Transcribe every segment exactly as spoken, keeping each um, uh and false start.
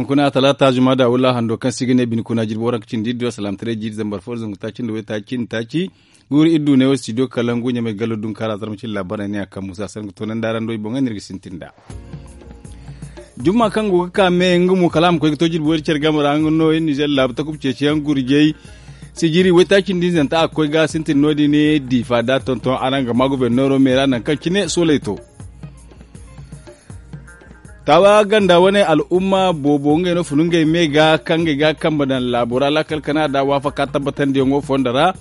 Kuna talaata juma da wula hando kaŋ si ga ne bine kuna jirbi waranka cindi iddu alsalaamataray jiiri zambar fo zangu taaci nda waytaaci cindi taaci. Guuru iddu ne wo studio kalangu ɲamay gallo dunkaara zarma cindi laabaray ne a kaŋ musa sanni ga toonandi araŋ do i boŋ ga no iri ga sintin nd'a. Jumma kaŋ go ga ka me nga mo kala a ma koy ga to jirbi wayra care game ra nga no iri nizer laabu takuba ceeciyaŋ gurjay sijiri waytaaci nda hinzanta a ga koy ga sintin no- din diifa da tonton araŋ ga ma goborneero me ra nangu kaŋ cine soolay to. Taawa ganda wane al'umma boobo ngey no funu ngey me ga kaŋ ngey ga kambe daŋ laabo ra laakal kana da waafaka tabbatandiyaŋo fondo ra.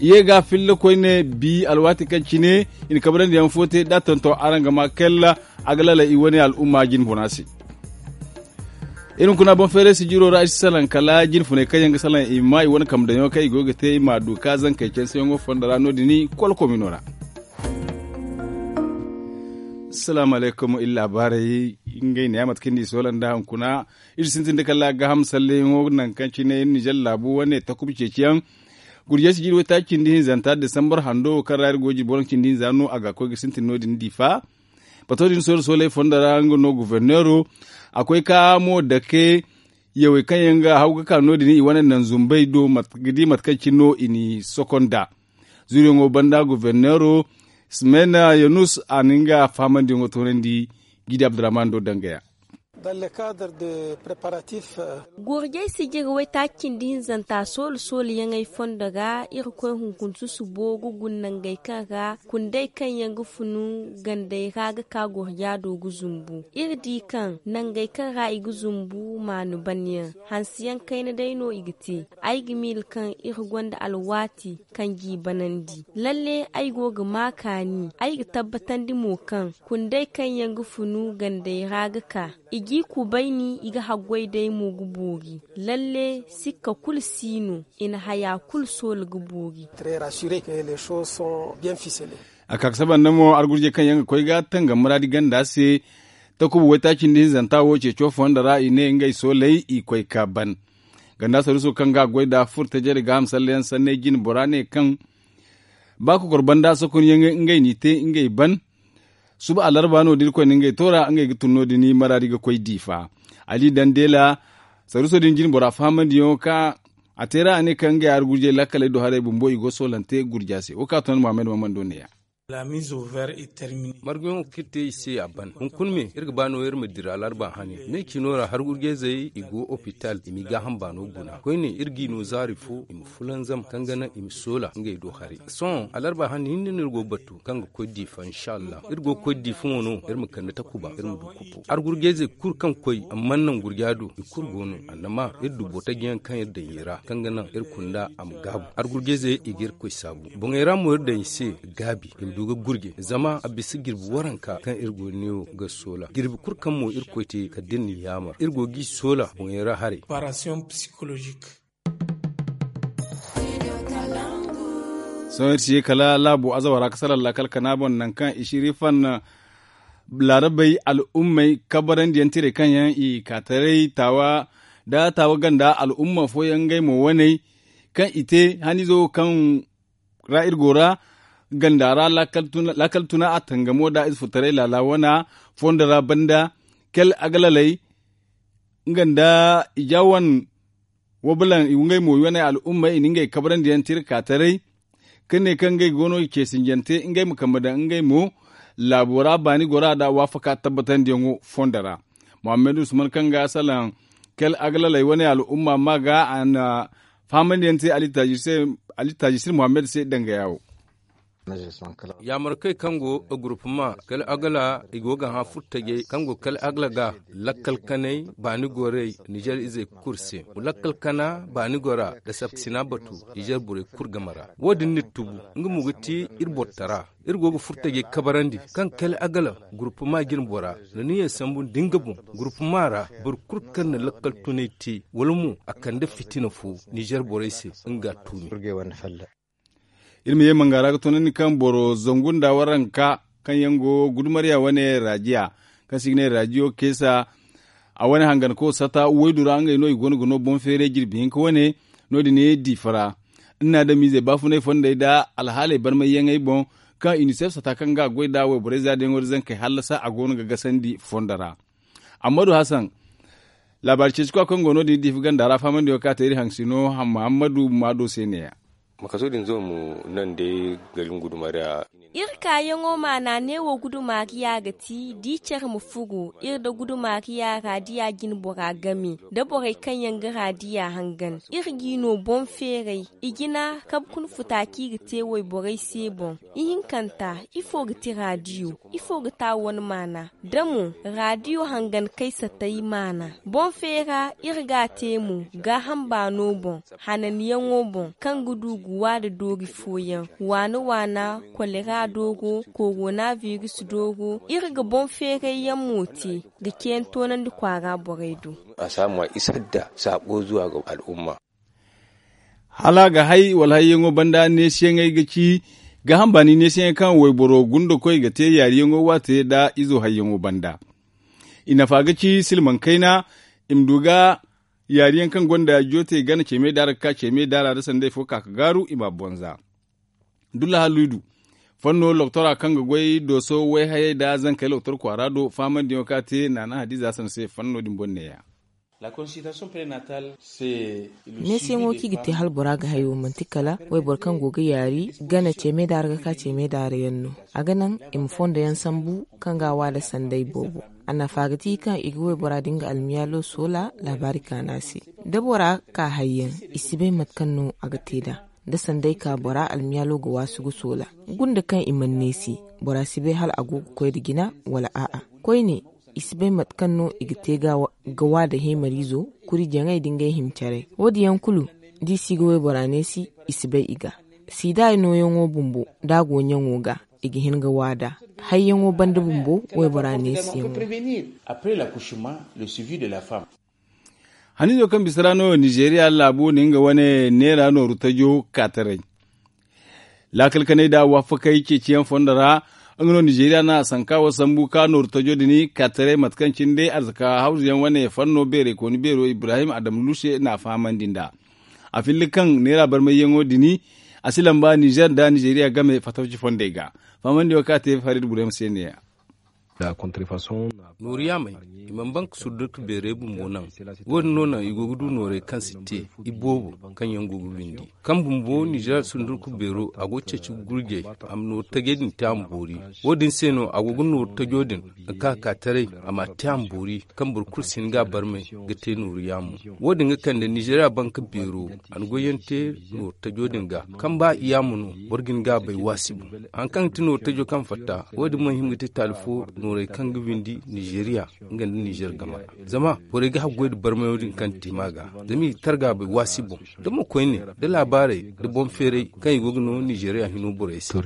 I ye ga filla koyne bi alwaati kaŋ cine i na kabarandiyaŋ fo te da tonton araŋ ga ma kalla a ga lalay i wane al'umma jine funa se. Iri hunkuna boŋ feeray sijiro ra i si salaŋ kala jine funay kaŋ yaŋ ga salaŋ i ma i wane kambe daŋyaŋo kaŋ i go ga te i ma a du ka zankey canseyaŋo fondo ra no- din i kolkomino ra. Salaamu alaykum iri laabaarey ngey ne ya mate kaŋ ni soola nda hunkuna iri sintin da kala gaaham salleyaŋo nangu kaŋ cine iri nizer laabu wane takuba ceeciyaŋ. Gurjey sijiri waytaaci cindi hinzanta desambar hando wo kaŋ ra iri go ga jirbi waranka cindi hinza no a ga koy ga sintin no- din diifa. Bato din soole sooley fondo ra nga no goborneero a koy ka mo dake yawey kaŋ yaŋ ga haw ga ka no- din i wane naŋ zumbey do ga di mate kaŋ cine no i n'i sokonda. Zuuriyaŋo banda goborneero simena yanus a na nga faahamandiyaŋo toonandi. Gidi abdurrahman do dangaya. Gurjay sijiri waytaaci cindi hinzanta soolu soolu yaŋey fondo ga irkoy hunkuna susubo ga guna nangey kaŋ ra kundey kaŋ yaŋ ga funu gandey ra ga ka gurja do ga zumbu. Iri di kaŋ nangey kaŋ ra i ga zumbu maanu ban yaŋ hanse yaŋ kayna day no i ga te. Ay ga miila kaŋ iri gonda alwaati kaŋ g'i banandi. Lalle ay go ga ma kaani ay ga tabbatandi mo kaŋ kundey kaŋ yaŋ ga funu gandey ra ga ka i g'i kubayni i ga haggoy day mo ga boori. Lalle sikka kulu si no i na haya kulu soola ga boori. A ka ga saba nda mo argurjey kaŋ yaŋ ga koy ga tangam muraadi ganda se. Takuba waytaaci nda hinzanta wo ceeco fondo ra i ne ngey sooley i koy ka ban ganda saruuso kaŋ ga a goy nd'a furtajey nda gaaham sallayaŋ sanney jine bora ne kaŋ ba kokor banda sokonyaŋ ngey n'i te ngey ban. Suba alarba no da irkoy na ngey toora ngey ga tun no- din maraadi ga koy diifa. Ali dandeela saruuso din jine bora fahamandiyaŋo ka a te ra a ne kaŋ ngey argurjey laakaley do haray bumbo i go soolante gurja se wo kaŋ a toonandi muhammad mahamando neeya. Marguyaŋo kaŋ iri te i se a ban hunkuna me iri ga ba no iri ma dira alarba hane me cino ra hargurjayzey i go opital i m'i gaaham baano guna koyne iri g'i no zaari fo i ma fulanzam kaŋ ga naŋ i ma soola ngey do haray. Sohõ alarba hane hinne no iri go ga batu kaŋ ga koy diifa inshallah iri go ga koy diifa mo no iri ma kande takuba iri ma du kupo argurjayzey kulu kaŋ koy amma naŋ gurja do i kulu go no annama iri du botajiyaŋ kaŋ iri daŋ i ra kaŋ ga naŋ iri kunda a ma gaabu argurjayzey i ga irkoy saabu boŋey ra mo iri daŋ i se gaabi i ma du ga gurje zama a bisa jirbi waranka kaŋ iri go neewo ga soola jirbi kulu kaŋ mo irkoy te kala da iri na yaamar iri go g'i soola boŋey ra haray. Sohõ iri si ye kala laabo azawara ga salaŋ laakal kana boŋ nangu kaŋ i si iri fan laarabey al'ummey kabarandiyaŋ tirey kaŋ yaŋ i ka taray taawa da taawa ganda al'umma fooyaŋ ngey mo waney kaŋ i te haniizo wo kaŋ ra iri go ra ganda ra laakal tuna a tangamo da ize furtaray laala wana fondo ra banda kal agalaley nga nda i ja wane wabalaŋ i ngey mo i wane al'ummey i na ngey kabarandiyaŋ te iri ka taray ka ne kaŋ ngey go no i ceesinjante ngey ma kambe daŋ ngey mo laabo ra baani gora nda waafaka tabbatandiyaŋo fondo ra. Muhammad usman kaŋ ga salaŋ kal agalaley wane al'umma ma ga a na fahamandiyaŋ te ali taajisir muhammad se dangaya wo. Yaamarkey kaŋ go gurupuma kal agala i go ga hã furtajey kaŋ go kal agala ga lakkal kanay baani gorey nizer izey kulu se lakkal kana baani gora da saptisina batu nizer borey kulu game ra. Wo- din n'iri tubu nga mo ga ti iri borotara iri go ga furtajey kabarandi kaŋ kal agala gurupuma jine bora na niya sambu nda nga boŋ gurupuma ra boro kulu kaŋ na lakkal tunay te wala mo a kande fitina fo nizer borey se nga a tuumi. Iri ma ye manga ra ga toonandi kaŋ boro zangu nda waranka kaŋ yaŋ go gudumarya wane rajiya kaŋ se i ga ne rajiyo keesa a wane hanganko sata waydu ra ngey no i go no ga no boŋ feeray jirbi hinka wane no- din diifa ra. Iri na adamiizey baafunay fondey nda alhaaley barmayyaŋey boŋ kaŋ inisef sata kaŋ ga a goy nda wayborey za da yaŋo nda zankey hallasa a go no ga gasandi fondo ra. Ammadu hasan Laabaari ceeci kwa kaŋ go no- din diifi ganda ra fahamandi wo kaŋ a te iri haŋ si no muhammadu maado se ne- ya. Makaso din zo mo naŋ day gari nga guduma ra. Iri kaayaŋo maana neewo guduma ga ya ga ti da i care ma furo iri nda guduma ga ya raadiya jine bora game nda borey kaŋ yaŋ ga raadiya hangan iri g'i no boŋ feeray. I jina kabe kuna futa kaŋ i ga te wayborey se boŋ. Ihinkanta, ifo ga ti raadiyo? Ifo ga ti a wane maana? Da mo raadiyo hangan kay satay maana boŋ feera iri ga a te mo gaaham baano boŋ, hananyaŋo boŋ kaŋ ga du ga waada doori fooyaŋ, waana waana, kolera dooro, korona biris dooro. Iri ga boŋ feeray yaŋ mo te ga ceeyaŋ toonandi kwaara borey do. A si a ma isa da saako zuwa ga al'umma. Hala a ga hay wala hayyaŋo banda neesiyaŋey ga ci gaaham baani neesiyaŋey kaŋ wayboro gundakoy ga te yaariyaŋo waate nda izo hayyaŋo banda. I nafa ga ci silmaŋ kayna. I ma du ga yaariyaŋ kaŋ gonda joote gana ceemey daara ga ka ceemey daara nda sanday fo ka ga gaaru i m'a bonza. Dulla halluy du fanno loktora kaŋ ga goy dooso wayhayey nda zankey loktor kwaara do faamandiyaŋo kaŋ a te naana hadiza hasan se fanno din boŋ neeya. Neesiyaŋo kaŋ i ga te hala bora ga hayo manti kala wayboro kaŋ go ga yaari gana ceemey daara ga ka ceemey daara yaŋ no. A ga naŋ i ma fondo yaŋ sambu kaŋ ga a waada sanday boobo. A nafa ga ti kaŋ i ga waybora din ga almiyaalo soola laabaari kaana se. Da bora ka hayyaŋ i si bay mate kaŋ no a ga te nd'a. Da sanday ka bora almiyaalo ga waasu ga soola gunda kaŋ i mana neesi bora si bay hala a go ga koy nda jina wala a'a. Koyne i si bay mate kaŋ no i ga te ga wa nda heemariizo kuri jaŋay nda ngey hima care. Wo- din yaŋ kulu da i si ga waybora neesi i si bay i ga. Siida nooyaŋo bumbo da a go ɲaŋo ga i ga hin ga waada hayyaŋo banda bumbo waybora neesiyaŋo. Haniizo kaŋ bisa ra no nizeeriya laabo na nga wane neera nooru tajo kaataray. Laakal kanay da waafakey ceeciyaŋ fondo ra nga no nizeeriya na a sanka wo sambu ka nooru tajo din kaataray mate kaŋ cine day arzaka hawzuyaŋ wane fanno beerey kooni beero ibrahim adam luse na a fahamandi nd'a. A filla kaŋ neera barmayyaŋo din a si lamba nizer nda nizeeriya game fatawci fondey ga. Fahamandiyaŋo kaŋ a te farid burem se neeya. Nooru yaamey i mana ban ga surdurka beerey bumbo naŋ. Wo- din no naŋ i go ga du noorey kaŋ si te iboobo kaŋ yaŋ go ga windi kaŋ bumbo nizer sundurku beero a go ga ceeci gurjey a ma nooru tajey din te a ma boori. Wo- din se no a go ga nooru tajo din ga ka ka taray a ma a te a ma boori kaŋ boro kulu si hin ga a barmay ga te nooru yaamo. Wo- din ga kande nizeeriya banka beero a na goyyaŋ te nooru tajo din ga kaŋ ba yaamo no boro ga hin ga a bay waasi boŋ. Hari kaŋ ga ti nooru tajo kaŋ fatta wo- din mana hima ga te taali fo noorey kaŋ ga windi nizeeriya nga nda nizer game ra. Zama borey ga haggoy nda barmayo din kaŋ te ma ga zama i ga targa bay waasi boŋ da mo koyne da laabaarey da boŋ feeray kaŋ i go ga no nizeeriya hino borey se.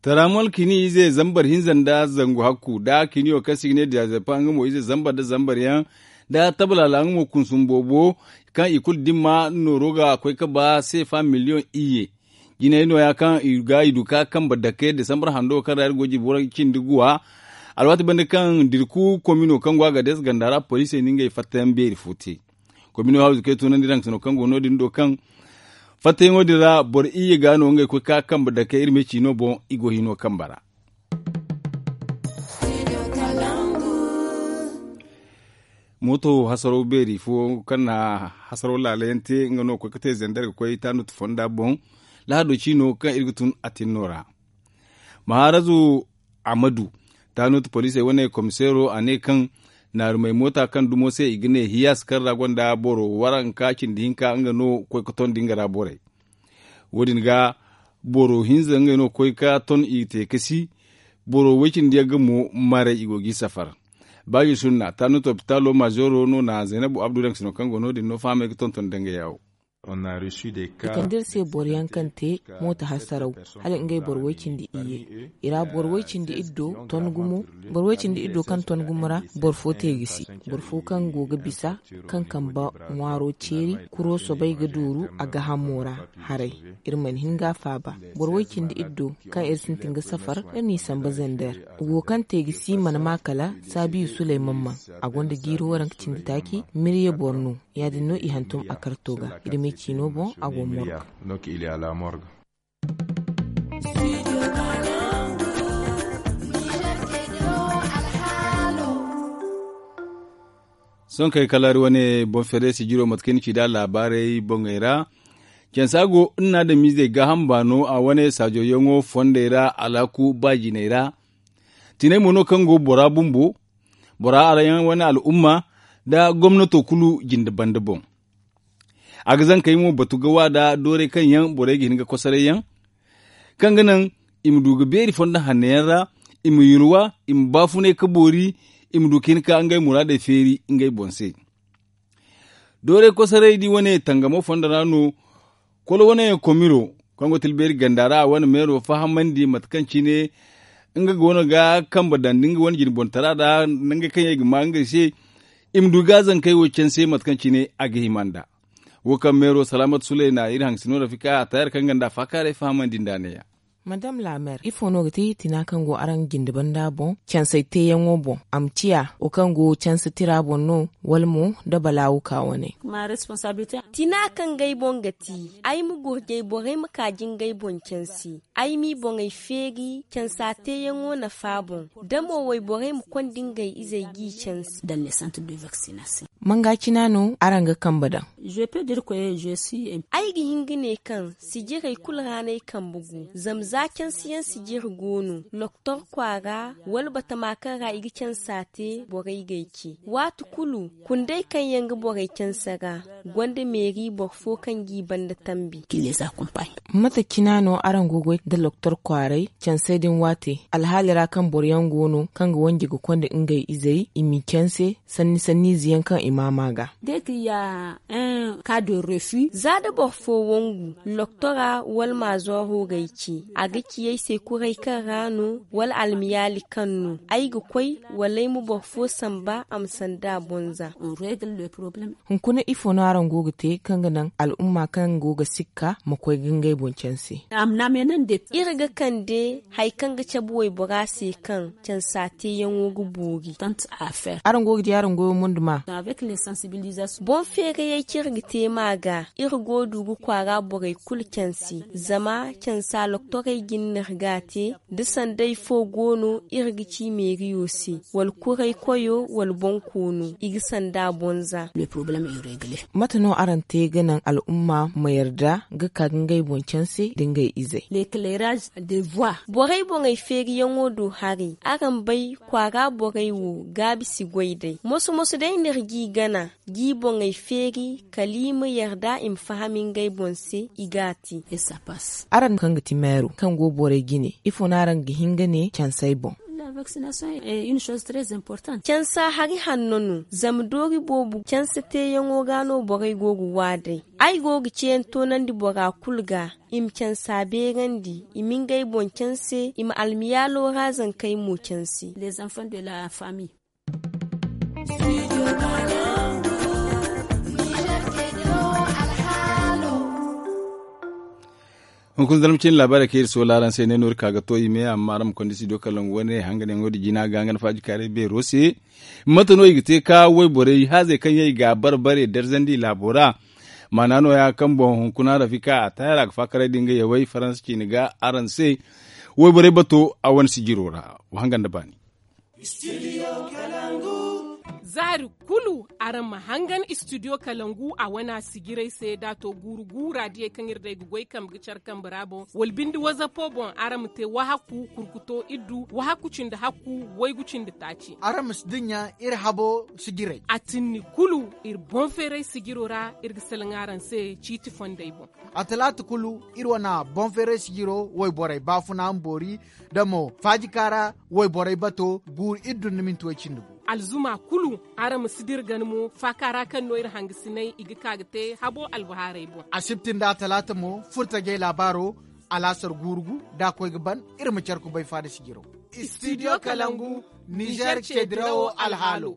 Taramol kini ize zambar hinza nda zangu hakku da kiniyo kaŋ se i ga ne diyazepa nga mo ize zambar nda zambar yaŋ da tabalaala nga mo kunsum boobo kaŋ i kulu dimma nooro ga koy ga ba seefa miliyoŋ iyye. Jinay nooya kaŋ i ga i du ka kambe dake desambar hando kaŋ ra iri go ga jirbi waranka cindi guwa. Alwaati banda kaŋ dirku komino kaŋ go a ga deesa ganda ra poliisey na ngey fattayaŋ beeri fo te. Komino hawzu kaŋ ay tunandi raŋ sino kaŋ go no- din do kaŋ fattayaŋo din ra boro iyye ga no ngey koy ka kambe dake iri me ciino boŋ i go hino kambe ra. Mooto hasaraw beeri fo kaŋ na hasaraw laalayaŋ te nga no koy ga te zandar ga koy taanut fonda boŋ. Lahado ciino kaŋ iri ga tun a tinno ra. Maharazu amadu taanut poliisey wane komiseero a ne kaŋ naarumey moota kaŋ dumo se i ga ne hiyas kaŋ ra gonda boro waranka cindi hinka nga no koy ga tondi nga ra borey. Wo- din ga boro hinza ngey no koy ga ton i ga te kasi. Boro way-cindi yaŋ ga mo maray i go g'i safar. Baaji sunna taanut opitaalo mazeero no na zaynabu abdu daŋ sino kaŋ go no- din no fahamey ga tonton danga yaawo. I kande iri se boro yaŋ kaŋ te mooto hasaraw hala ngey boro way-cindi iyye. I ra boro way-cindi iddo ton gumo. Boro way-cindi iddo kaŋ ton gumo ra boro fo te gisi. Boro fo kaŋ go ga bisa kaŋ kamba ŋwaaro ceeri kuro soobay ga dooru a gaahamo ra. Haray iri mana hin ga a faaba. Boro way-cindi iddo kaŋ iri sintin ga safar iri n'i samba zander. Wo kaŋ te gisi mana ma kala saabiyu suley mamman. A gonda jiiri waranka cindi taaci mirye boro no. Ya- din no i hantum a karto ga. Iri me ciino boŋ a go morga. Donc il est à la morgue. Sohõ kay kala hari wane boŋ feeray sijiro mate kaŋ ni ci nd'a laabaarey boŋey ra. Cansa go nna adamiizey gaaham baano a wane saajo yaŋo fondey ra alaaku ba jinay ra. Tinay mo no kaŋ go bora bumbo, bora araŋ yaŋ wane al'umma nda gomnato kulu jinde banda boŋ. A ga zankey mo batu ga wa nda doorey kaŋ yaŋ borey ga hin ga kosoray yaŋ, kaŋ ga naŋ i ma du ga beeri fondo hanno yaŋ ra, i ma yulwa, i ma baafunay ka boori, i ma du ka hin ka ngey muraadey feeri ngey boŋ se. Doorey kosoray di wane tangamo fondo ra no. Kolo wane komiro kaŋ go tilbeeri ganda ra a wane meero fahamandi mate kaŋ cine nga go no ga kambe daŋ nda nga wane jinbontara ra nda ngey kaŋ yaŋ i ga ma ngey se, i ma du ga zankey wo canse mate kaŋ cine a ga hima nd'a. Wo kaŋ meero salaamat suley na iri hangasino rafika a taayar kaŋ ganda faakaaray fahamandi nd'a neeya. Madame laameer, ifo no ga ti tina kaŋ go araŋ jinde banda boŋ cansey teeyaŋo boŋ? A ma ciya wo kaŋ go canse tira boŋ no, wala mo da balaawu ka wane? Tina kaŋ ga ay boŋ ga ti ay ma gurjay borey ma ka jingay boŋ canse. Ay m'i boŋey feeri cansa teeyaŋo nafa boŋ, da mo wayborey ma konda ngey izey g'i canse. Manga cina no araŋ ga kambe daŋ? Ay ga hin ga ne kaŋ sijirey kulu ra no ay kambe go. Zama za cansiyaŋ sijiri go no loktor kwaara wala batama kaŋ ra i ga cansa te borey g'ay ce. Waati kulu kundey kaŋ yaŋ ga borey canse ra gonda meeri boro fo kaŋ g'i banda tambi. Mate cina no araŋ go ga goy nda loktor kwaaray cansey din waate? Alhaali ra kaŋ boro yaŋ go no kaŋ ga wanje ga konda ngey izey i m'i canse sanni sanniize yaŋ kaŋ i maama ga. Za da boro fo wangu loktora wala maazooro g'ay ce, a ga ci ay se kuray kaŋ ra no wala almiyaali kaŋ no ay ga koy, wala ay ma boro fo samba a ma sanda a boŋ za. Hunkuna ifo no araŋ go ga te kaŋ ga naŋ al'umma kaŋ go ga sikka ma koy ga ngey boŋ canse? Iri ga kande hari kaŋ ga cabe waybora se kaŋ cansa teeyaŋo ga boori. Araŋ go ga di araŋ goyo mondo ma. Boŋ feerayey kaŋ iri ga te ma ga iri go du ga kwaara borey kulu canse. Zama cansa loktorey ga ni no iri ga a te da sanday fo go no iri ga ci meeriyo se wala kuray koyo wala boŋ koono i ga sanda a boŋ za. Mate no araŋ te ga naŋ al'umma ma yarda ga ka ga ngey boŋ canse nda ngey izey? Borey boŋey feeriyaŋo do haray. Araŋ bay kwaara borey wo gaabi si goy day moso moso day no iri g'i gana g'i boŋey feeri kala i ma yarda i ma faham ngey boŋ se i g'a te. Araŋ kaŋ ga ti meero kaŋ go borey jine ifo no araŋ ga hin ga ne cansey boŋ? Cansa hari hanno no zama doori boobo canse teeyaŋo ga no borey go ga wa day. Ay go ga ceeyaŋ toonandi bora kulu ga i ma cansa beerandi i ma ngey boŋ canse i ma almiyaalo ra zankey mo canse. Hunkuna zarma cine laabaarey kaŋ iri soola araŋ se ne no iri ka ga to i me amma araŋ ma konda studio kalangu wane hanganyaŋo din jina ga nga na faaji kaaray beero se. Mate no i ga te ka wayborey haazey kaŋ yaŋ i ga a bare bare darzandi laabo ra? Maana nooya kaŋ boŋ hunkuna rafika a taayar a ga faakaray din ga yawey faransa ciine ga araŋ se. Wayborey bato a wane sijiro ra wa hangan da baani. Zaari kulu araŋ ma hangan studio kalangu a wana sijirey se da a to guuru guura diyey kaŋ iri day ga goy kambe ga care kambe ra boŋ wala binde wazapo boŋ araŋ ma te wahakku kurkuto iddu wahakku cindi hakku waygu cindi taaci. Araŋ ma si dinya iri habo sijirey. A tinni kulu iri boŋ feeray sijiro ra iri ga salaŋ araŋ se ciiti fondey boŋ. A talaata kulu iri wana boŋ feeray sijiro wayborey baafuna ma boori da mo faajika ra wayborey bato guuru iri dun ni minti way cindi gu. Alzuma kulu araŋ ma si dira gana mo faaka ra kaŋ no iri hangasinay i ga ka ga te habo albahaarey boŋ. Asibti nda talaata mo furtajey laabaaro alaasar guuru gu da a koy ga ban iri ma care kubay faada sijiro. Studio kalangu nizer ce dirawo alhaalo.